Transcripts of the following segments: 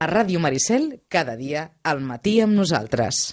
A Ràdio Maricel, cada dia, al matí amb nosaltres.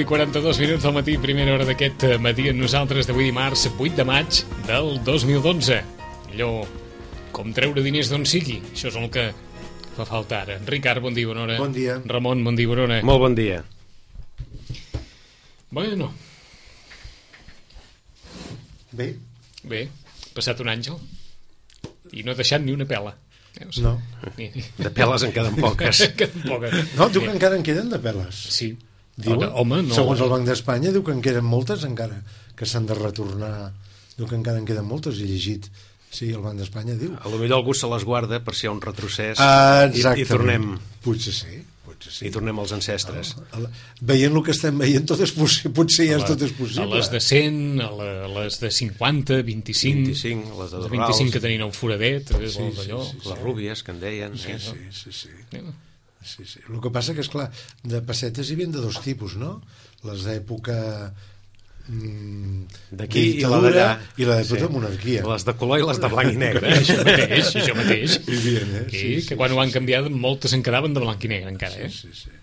I 42 minuts del matí, primera hora d'aquest matí amb nosaltres d'avui dimarts 8 de maig del 2012. Allò, com treure diners d'on sigui, això és el que fa falta ara. Ricard, bon dia, bona hora. Bon dia. Ramon, bon dia, bona hora. Molt bon dia. Bueno. Bé, passat un àngel i no ha deixat ni una pela. Veus? No. De peles en queden poques. No, diu que encara en queden de peles. Sí. Diuen, home, no. Segons el Banc d'Espanya diu que en queden moltes encara, que s'han de retornar. Diu que encara en queden moltes, he llegit. Sí, el Banc d'Espanya diu. A lo millor algú se les guarda per si hi ha un retrocés i tornem. Potser sí. I tornem als ancestres. Veient el que estem veient, tot és potser ja tot és possible. A les de 100, a les de 50, 25, les de 25 que tenien un foradet, sí, les rúbies que en deien. Sí. El que passa que, esclar, de pessetes hi havia de dos tipus, no? Les d'època d'aquí i la d'allà, i la d'època de monarquia, les de color i les de blanc i negre. Això mateix. Que quan ho van canviar moltes en quedaven de blanc i negre encara. Sí.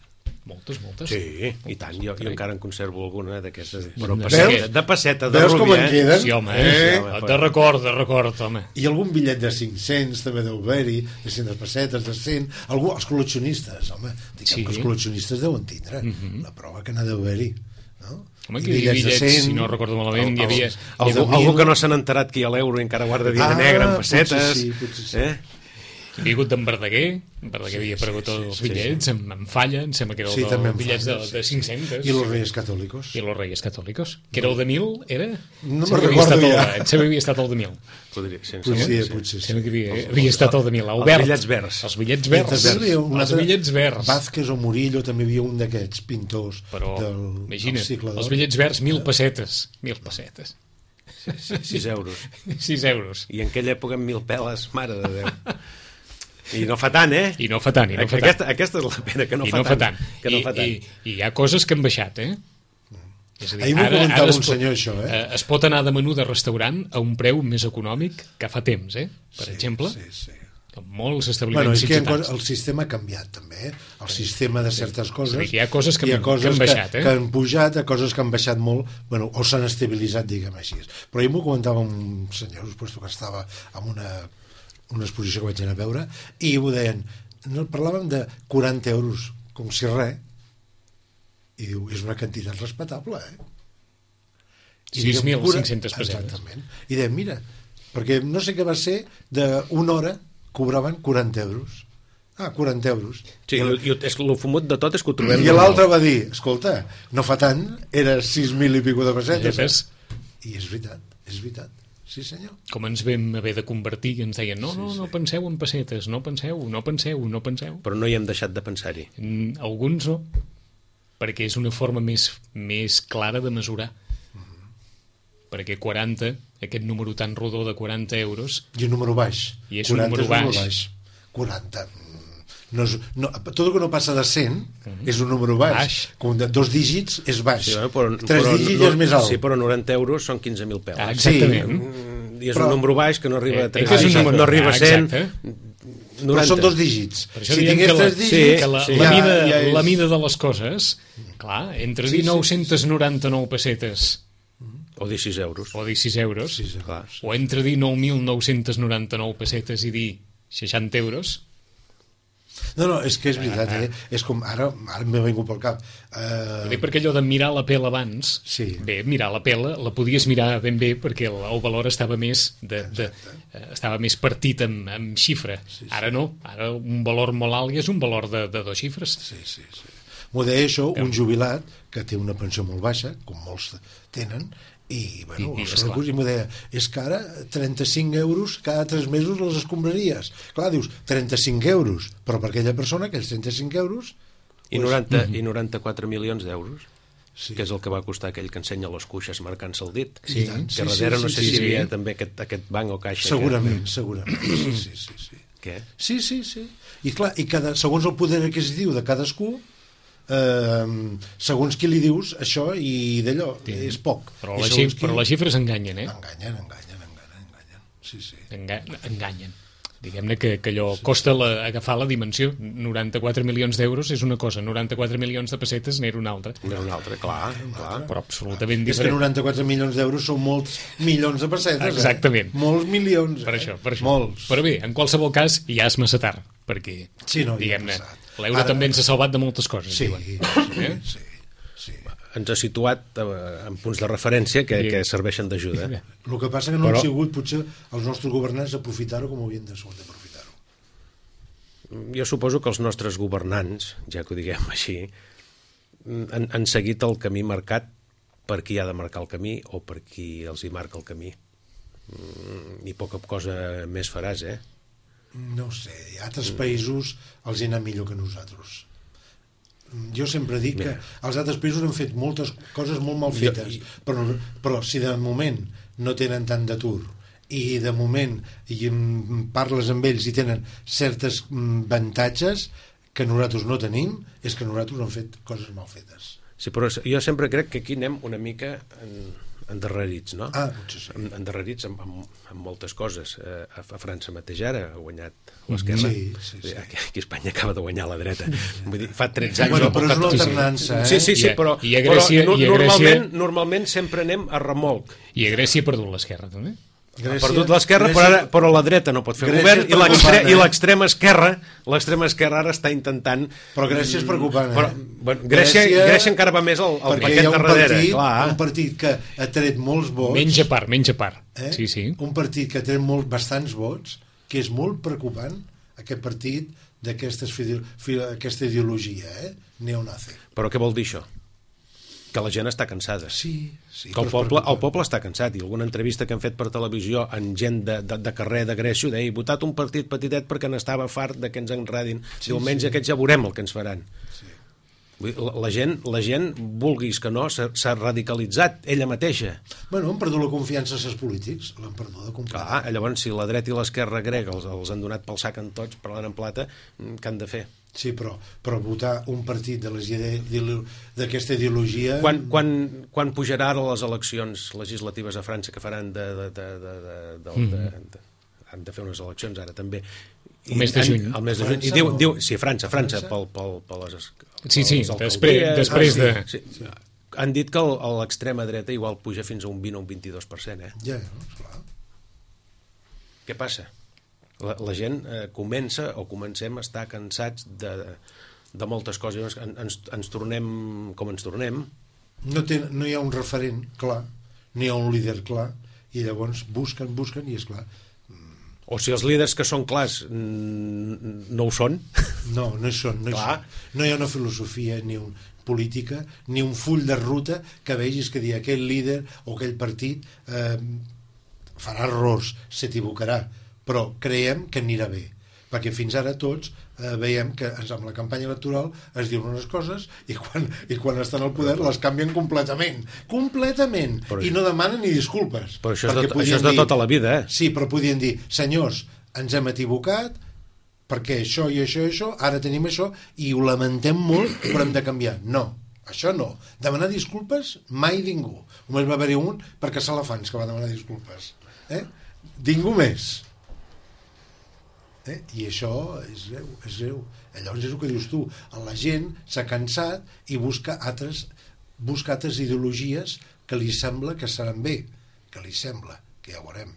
Moltes. Sí, i tant, jo encara en conservo alguna d'aquestes, però de passeta, de rubia. Veus com en queden? Sí, home, de record, home. I algun bitllet de 500 també deu haver-hi, de 100 pessetes, de 100, els col·leccionistes, home, que els col·leccionistes deuen tindre la prova que n'ha d'haver-hi, no? Home, que hi havia bitllets, si no recordo malament, hi havia... Algú que no s'han enterat que hi ha l'euro i encara guarda diners negre en pessetes. Potser sí. Hi havia hagut d'en Verdaguer havia aparegut els bitllets, en Falla, em sembla que era el dels bitllets de 500. I los Reyes Catòlicos. Que era el de 1.000, era? No me'n recordo ja. Em sembla que havia estat el de 1.000. Potser sí. Sembla que havia estat el de 1.000. Els bitllets verds. Els bitllets verds. Vázquez o Murillo també hi havia un d'aquests pintors del segle d'or. Els bitllets verds, 1.000 pessetes. 1.000 pessetes. 6 euros. 6 euros. I en aquella època 1.000 peles, mare de Déu. I no fa tant, eh? I no fa tant. Aquesta és la pena, que no fa tant. I hi ha coses que han baixat, eh? És a dir, ahir m'ho comentava un senyor, això, es pot anar de menú de restaurant a un preu més econòmic que fa temps, eh? Per exemple, molts establiments ciutats. El sistema ha canviat, també, el sistema de certes coses. Hi ha coses que han baixat, que han pujat, coses que han baixat molt, o s'han estabilitzat, diguem així. Però ahir m'ho comentava un senyor, que estava en una exposició que vaig anar a veure, i ho deien, parlàvem de 40 euros, com si res, i diu, és una quantitat respectable, 6.500 pessetes. Exactament. I deien, mira, perquè no sé què va ser, d'una hora cobraven 40 euros. 40 euros. Sí, i el fumut de tot és que ho trobem. I l'altre va dir, escolta, no fa tant, era 6.000 i pico de pessetes. I és veritat. Sí, senyor. Com ens vam haver de convertir, que ens deien, no penseu en pessetes, no penseu. Però no hi hem deixat de pensar-hi. Alguns no, perquè és una forma més clara de mesurar. perquè 40, aquest número tan rodó de 40 euros... I un número baix. I és un número baix. 40. Tot el que no passa de 100 és un número baix. Com de 2 dígits és baix. Sí, 3 dígits és més alt. Sí, però 90 euros són 15.000 peles. Exactament. I és un número baix que no arriba a 3 dígits. No arriba a 100. 90. Però són 2 dígits. Per això diem que la mida de les coses, clar, entre dir 999 pessetes o dir 6 euros o entre dir 9.999 pessetes i dir 60 euros. No, és que és veritat, és com ara m'ha vingut pel cap. Perquè allò de mirar la pela abans, bé, mirar la pela la podies mirar ben bé perquè el valor estava més estava més partit amb xifra. Ara no, ara un valor molt alt és un valor de 2 xifres. Sí. M'ho deia això un jubilat que té una pensió molt baixa, com molts tenen, i m'ho deia, és que ara 35 euros cada 3 mesos les escombraries. Clar, dius, 35 euros, però per aquella persona aquells 35 euros... I 94 milions d'euros, que és el que va costar aquell que ensenya les cuixes marcant-se el dit, que darrere no sé si hi havia també aquest banc o caixa. Segurament. Sí. Què? Sí. I clar, segons el poder adquisitiu de cadascú, segons qui li dius això i d'allò, és poc. Però les xifres enganyen, Enganyen. Sí. Enganyen. Diguem-ne que allò costa agafar la dimensió. 94 milions d'euros és una cosa, 94 milions de pessetes n'era una altra. Clar. Però absolutament diferent. És que 94 milions d'euros són molts milions de pessetes. Exactament. Molts milions. Per això. Molts. Però bé, en qualsevol cas, ja és massa tard, perquè, diguem-ne, l'euro també ens ha salvat de moltes coses. Sí. Ens ha situat en punts de referència que serveixen d'ajuda. El que passa que no han sigut potser els nostres governants aprofitar-ho com havien d'aprofitar-ho. Jo suposo que els nostres governants, ja que ho diguem així, han seguit el camí marcat per qui ha de marcar el camí o per qui els hi marca el camí. I poca cosa més faràs, No sé, hi ha altres països els hi ha anat millor que nosaltres. Jo sempre dic que els altres països han fet moltes coses molt mal fetes, però si de moment no tenen tant d'atur i de moment parles amb ells i tenen certes avantatges que nosaltres no tenim, és que nosaltres han fet coses mal fetes. Sí, però jo sempre crec que aquí anem una mica endarrerits, no? Potser sí. Endarrerits amb moltes coses. A França mateix ara ha guanyat l'esquerra. Sí. Aquí a Espanya acaba de guanyar la dreta. Vull dir, fa 13 anys... Però és una alternança, Sí, però normalment sempre anem a remolc. I a Grècia ha perdut l'esquerra, també? Ha perdut l'esquerra, però la dreta no pot fer govern i l'extrema esquerra ara està intentant... Però Grècia és preocupant, Grècia encara va més al paquet darrere. Un partit que ha tret molts vots... Menja part. Sí. Un partit que ha tret bastants vots, que és molt preocupant, aquest partit d'aquesta ideologia, neonazi. Però què vol dir això? Que la gent està cansada. Sí. Que el poble està cansat. I alguna entrevista que han fet per televisió en gent de carrer de Grècia deia, he votat un partit petitet perquè n'estava fart de que ens enredin. Diumenge aquests ja veurem el que ens faran. La gent, vulguis que no, s'ha radicalitzat ella mateixa. Han perdut la confiança en els polítics, l'han perduda completament. Clar, llavors si la dreta i l'esquerra grega els han donat pel sac en tots, parlant en plata, què han de fer? Sí, però votar un partit d'aquesta ideologia... Quan pujarà ara les eleccions legislatives a França que faran han de fer unes eleccions ara també. El mes de juny. I diu, sí, a França, per les... Sí, després de... Han dit que l'extrema dreta igual puja fins a un 20 o un 22%, Ja, esclar. Què passa? La gent comencem a estar cansats de moltes coses. Ens tornem com ens tornem. No hi ha un referent clar, no hi ha un líder clar, i llavors busquen i és clar. O si els líders que són clars no ho són. No hi són. No hi ha una filosofia ni una política, ni un full de ruta que vegis que dir aquell líder o aquell partit farà errors, s'equivocarà, però creiem que anirà bé. perquè fins ara tots veiem que amb la campanya electoral es diuen unes coses i quan estan al poder les canvien completament i no demanen ni disculpes. Però això és de tota la vida, Sí, però podien dir, senyors, ens hem equivocat perquè això i això i això, ara tenim això i ho lamentem molt, però hem de canviar. No, això no. Demanar disculpes mai ningú. Només va haver-hi un per caçar elefants que va demanar disculpes. Ningú més. I això és greu. Llavors és el que dius tu. La gent s'ha cansat i busca altres ideologies que li sembla que seran bé. Que li sembla, que ja ho veurem.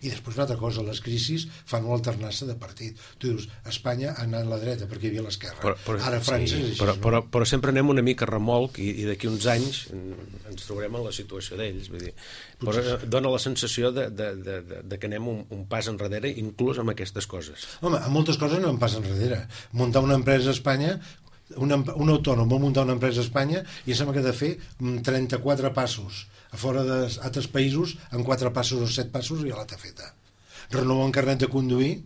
I després una altra cosa, les crisis fan una alternança de partit. Tu dius, Espanya ha anat a la dreta perquè hi havia l'esquerra. Ara França és així. Però sempre anem una mica a remolc i d'aquí uns anys ens trobarem en la situació d'ells. Vull dir, però dona la sensació de que anem un pas enrere inclús amb aquestes coses. Home, en moltes coses no en pas enrere. Muntar una empresa a Espanya, un autònom vol muntar una empresa a Espanya i sembla que ha de fer 34 passos. A fora d'altres països, en 4 passos o 7 passos ja l'ha feta. Renovar un carnet de conduir,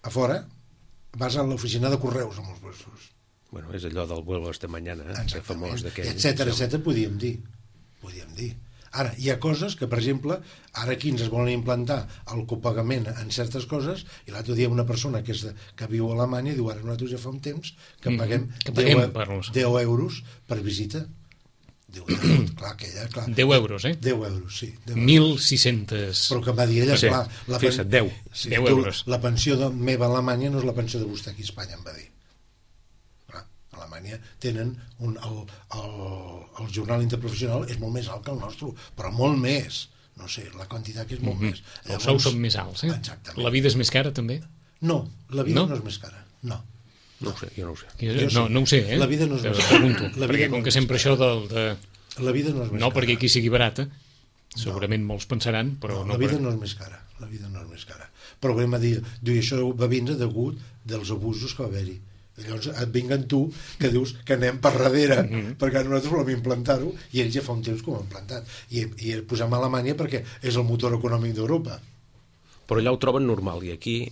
a fora, vas a l'oficina de correus amb els puestos. Bueno, és allò del vuelo este mañana, famós d'aquell. Etcètera, podíem dir. Ara, hi ha coses que, per exemple, ara aquí ens es volen implantar el copagament en certes coses, i l'altre dia una persona que viu a Alemanya diu, ara nosaltres ja fa un temps que paguem 10 euros per visita. Diu, clar, 10 euros, 10 euros, sí. 1.600... Però que va dir ella, clar... 10 euros. La pensió meva a Alemanya no és la pensió de vostè aquí a Espanya, em va dir. Clar, a Alemanya tenen el jornal interprofessional és molt més alt que el nostre, però molt més. No sé, la quantitat que és molt més. Els sous són més alts, Exactament. La vida és més cara, també? No, la vida no és més cara, no. No ho sé, jo no ho sé. No ho sé, La vida no és més cara. Pregunto, perquè com que sempre això La vida no és més cara. No perquè aquí sigui barata, segurament molts pensaran, però no. La vida no és més cara, Però vam dir, això va vindre degut dels abusos que va haver-hi. Llavors et vinguen tu que dius que anem per darrere perquè nosaltres volem implantar-ho i ells ja fa un temps que ho han implantat i posem a Alemanya perquè és el motor econòmic d'Europa. Però allà ho troben normal i aquí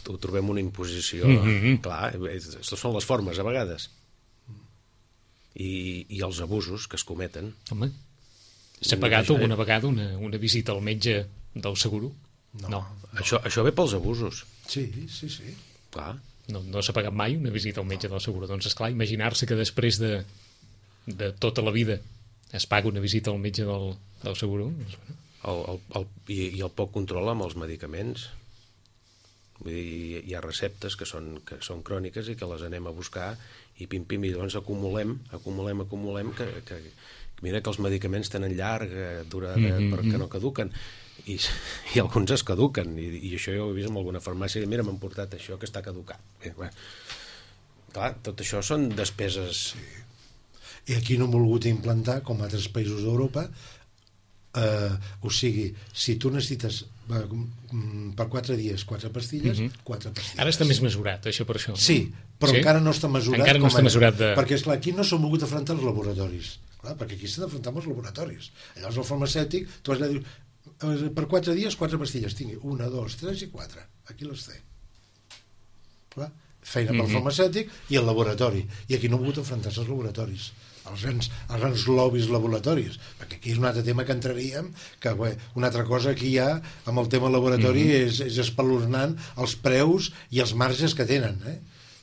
ho trobem una imposició. Clar, són les formes a vegades i els abusos que es cometen. Home, s'ha pagat alguna vegada una visita al metge del seguro? No. Això ve pels abusos. Sí. Clar. No s'ha pagat mai una visita al metge del seguro. Doncs esclar, imaginar-se que després de tota la vida es paga una visita al metge del seguro. I el poc control amb els medicaments. Vull dir, hi ha receptes que són cròniques i que les anem a buscar i pim-pim, i llavors acumulem que mira que els medicaments tenen llarga durada perquè no caduquen i alguns es caduquen i això jo ho he vist en alguna farmàcia i mira, m'han portat això que està caducat. Clar, tot això són despeses. I aquí no hem volgut implantar, com altres països d'Europa, o sigui, si tu necessites per 4 dies 4 pastilles, 4 pastilles. Ara està més mesurat, això per això. Sí, però encara no està mesurat. Encara no està mesurat perquè, esclar, aquí no s'han volgut afrontar els laboratoris. Clar, perquè aquí s'ha d'afrontar amb els laboratoris. Llavors el farmacèutic, tu has de dir, per 4 dies 4 pastilles, tingui 1, 2, 3 i 4. Aquí les té. Clar, feina pel farmacèutic i el laboratori. I aquí no han volgut enfrontar-se als laboratoris. Els grans lobbies laboratoris, perquè aquí és un altre tema que entraríem, que una altra cosa que hi ha amb el tema laboratori és espeluznant els preus i els marges que tenen,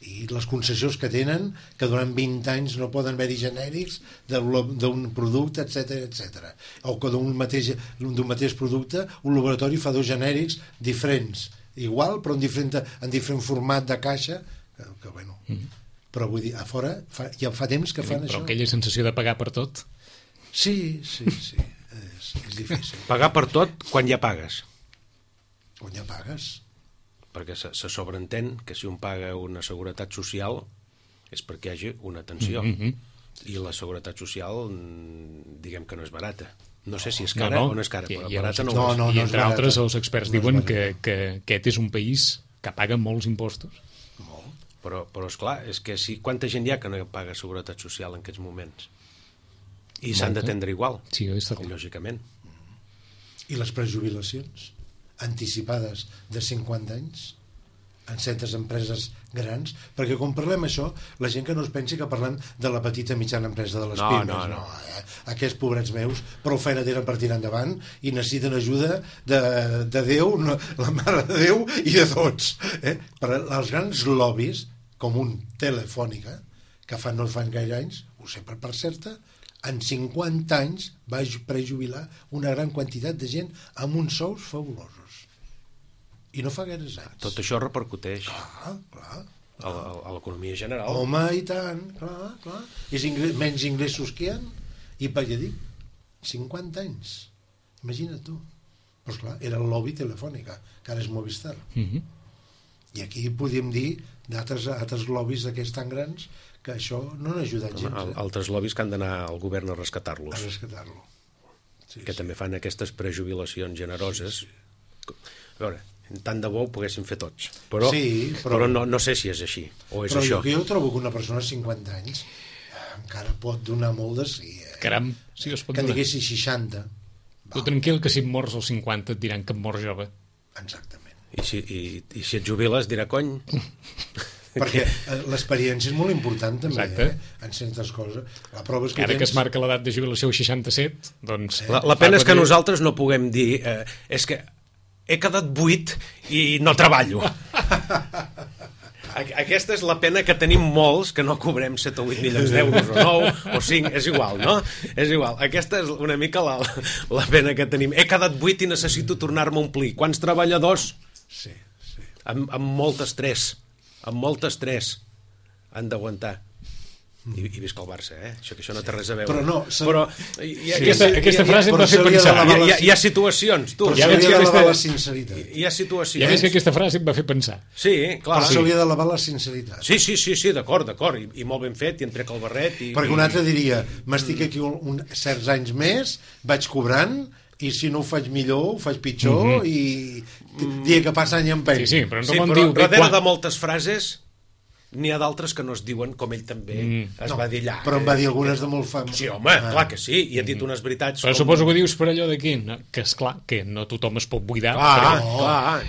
i les concessions que tenen, que durant 20 anys no poden haver-hi genèrics d'un producte, etc. O que d'un mateix producte un laboratori fa 2 genèrics diferents, igual però en diferent format de caixa, que bueno... Però vull dir, a fora ja fa temps que fan això. Però aquella sensació de pagar per tot? Sí, és difícil. Pagar per tot quan ja pagues. Quan ja pagues. Perquè se sobreentén que si un paga una seguretat social és perquè hi hagi una atenció. I la seguretat social, diguem que no és barata. No sé si és cara o no és cara, però barata no ho és. I entre altres els experts diuen que aquest és un país que paga molts impostos. Però esclar, és que quanta gent hi ha que no paga seguretat social en aquests moments? I s'han d'atendre igual, lògicament. I les prejubilacions anticipades de 50 anys, en certes empreses grans, perquè quan parlem això, la gent que no es pensi que parlem de la petita i mitjana empresa de les pimes. No. Aquests pobrets meus prou feina tenen per tirar endavant i necessiten ajuda de Déu, la Mare de Déu i de tots. Per als grans lobbies, com un Telefònica, que no fan gaire anys, ho sé per part certa, en 50 anys va prejubilar una gran quantitat de gent amb uns sous fabulosos. I no fa gaires anys. Tot això repercuteix Clar. a l'economia general. Home, i tant, clar. És menys ingressos que hi ha, i per ja dic, 50 anys. Imagina't tu. Però esclar, era el lobby Telefònica, que ara és Movistar. I aquí podíem dir d'altres lobbies d'aquests tan grans que això no n'ha ajudat gens. Altres lobbies que han d'anar al govern a rescatar-los. A rescatar-lo. Que també fan aquestes prejubilacions generoses. A veure, tant de bo ho poguéssim fer tots. Però no sé si és així, o és això. Però jo trobo que una persona de 50 anys encara pot donar molt de sí. Caram, sí, es pot que donar. en diguessi 60. Tu tranquil, que si et mors als 50 et diran que et mors jove. Exactament. I si et jubiles dirà cony. Perquè l'experiència és molt important també, Exacte. en certes coses. La prova és que Ara que es marca l'edat de jubilació 67, doncs... La pena és que nosaltres no puguem dir és que he quedat buit i no treballo. Aquesta és la pena que tenim molts que no cobrem 7 o 8 milions d'euros o 9 o 5, és igual, no? És igual. Aquesta és una mica la pena que tenim. He quedat buit i necessito tornar-me a omplir. Quants treballadors? Sí. Amb molt estrès. Amb molt estrès han d'aguantar. I visca el Barça, això no té res a veure. Però aquesta frase em va fer pensar. Hi ha situacions, tu. Però s'hauria de lavar la sinceritat. Hi ha situacions. Ja veig que aquesta frase em va fer pensar. Sí, clar. Però s'hauria de lavar la sinceritat. Sí, d'acord. I molt ben fet, i em trec el barret. Perquè un altre diria, m'estic aquí certs anys més, vaig cobrant, i si no ho faig millor, ho faig pitjor, i dia que passa any empeny. Sí, però darrere de moltes frases n'hi ha d'altres que no es diuen com ell també es va dir allà. Però em va dir algunes de molt fam. Sí, home, clar que sí, i ha dit unes veritats. Però suposo que ho dius per allò d'aquí, que esclar, que no tothom es pot buidar.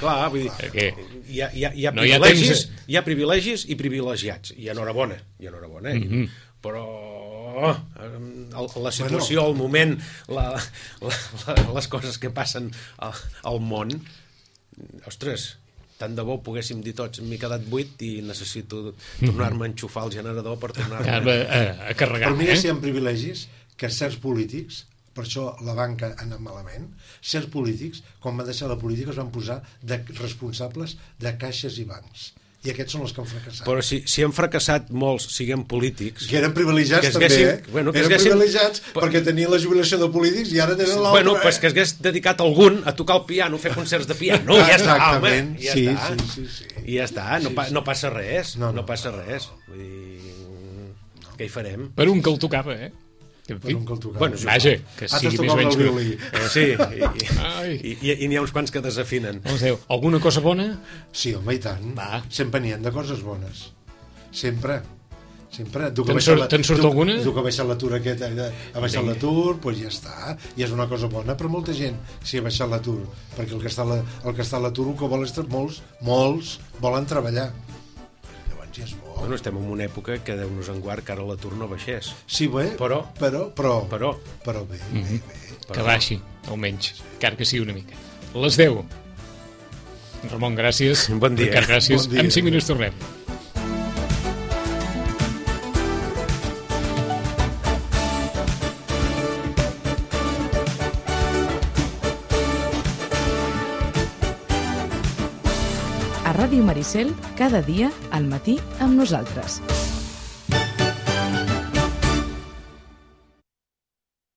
Clar, vull dir, hi ha privilegis i privilegiats, i enhorabona, però la situació, el moment, les coses que passen al món, ostres, tant de bo poguéssim dir tots, m'he quedat buit i necessito tornar-me a enxufar el generador per tornar-me a carregar. Però mira si hi ha privilegis que certs polítics, per això la banca ha anat malament, certs polítics, quan van deixar la política, es van posar de responsables de caixes i bancs. I aquests són els que han fracassat. Però si han fracassat molts, siguem polítics... Que eren privilegiats també, eren privilegiats perquè tenien la jubilació de polítics i ara tenen l'altre... Bueno, pues que hagués dedicat algun a tocar el piano, fer concerts de piano, ja està, home, ja està. I ja està, no passa res, no passa res. Vull dir, què hi farem? Per un que el tocava, Per un que el tocava. Bueno, vaja, que sigui més o menys... Sí, i n'hi ha uns quants que desafinen. Alguna cosa bona? Sí, home, i tant. Sempre n'hi ha de coses bones. Sempre. Te'n surt alguna? Tu que ha baixat l'atur aquest, ha baixat l'atur, doncs ja està. I és una cosa bona per molta gent, si ha baixat l'atur. Perquè el que està a l'atur, el que vol és molts volen treballar. Llavors ja és bo. Bueno, estem en una època que Déu-nos en guard que ara l'atur no baixés. Sí, bé, però bé. Que baixi, almenys, encara que sigui una mica. Les 10. Ramon, gràcies. Bon dia. Ricard, gràcies. Bon dia. En 5 minuts tornem. A Ràdio Maricel, cada dia al matí amb nosaltres.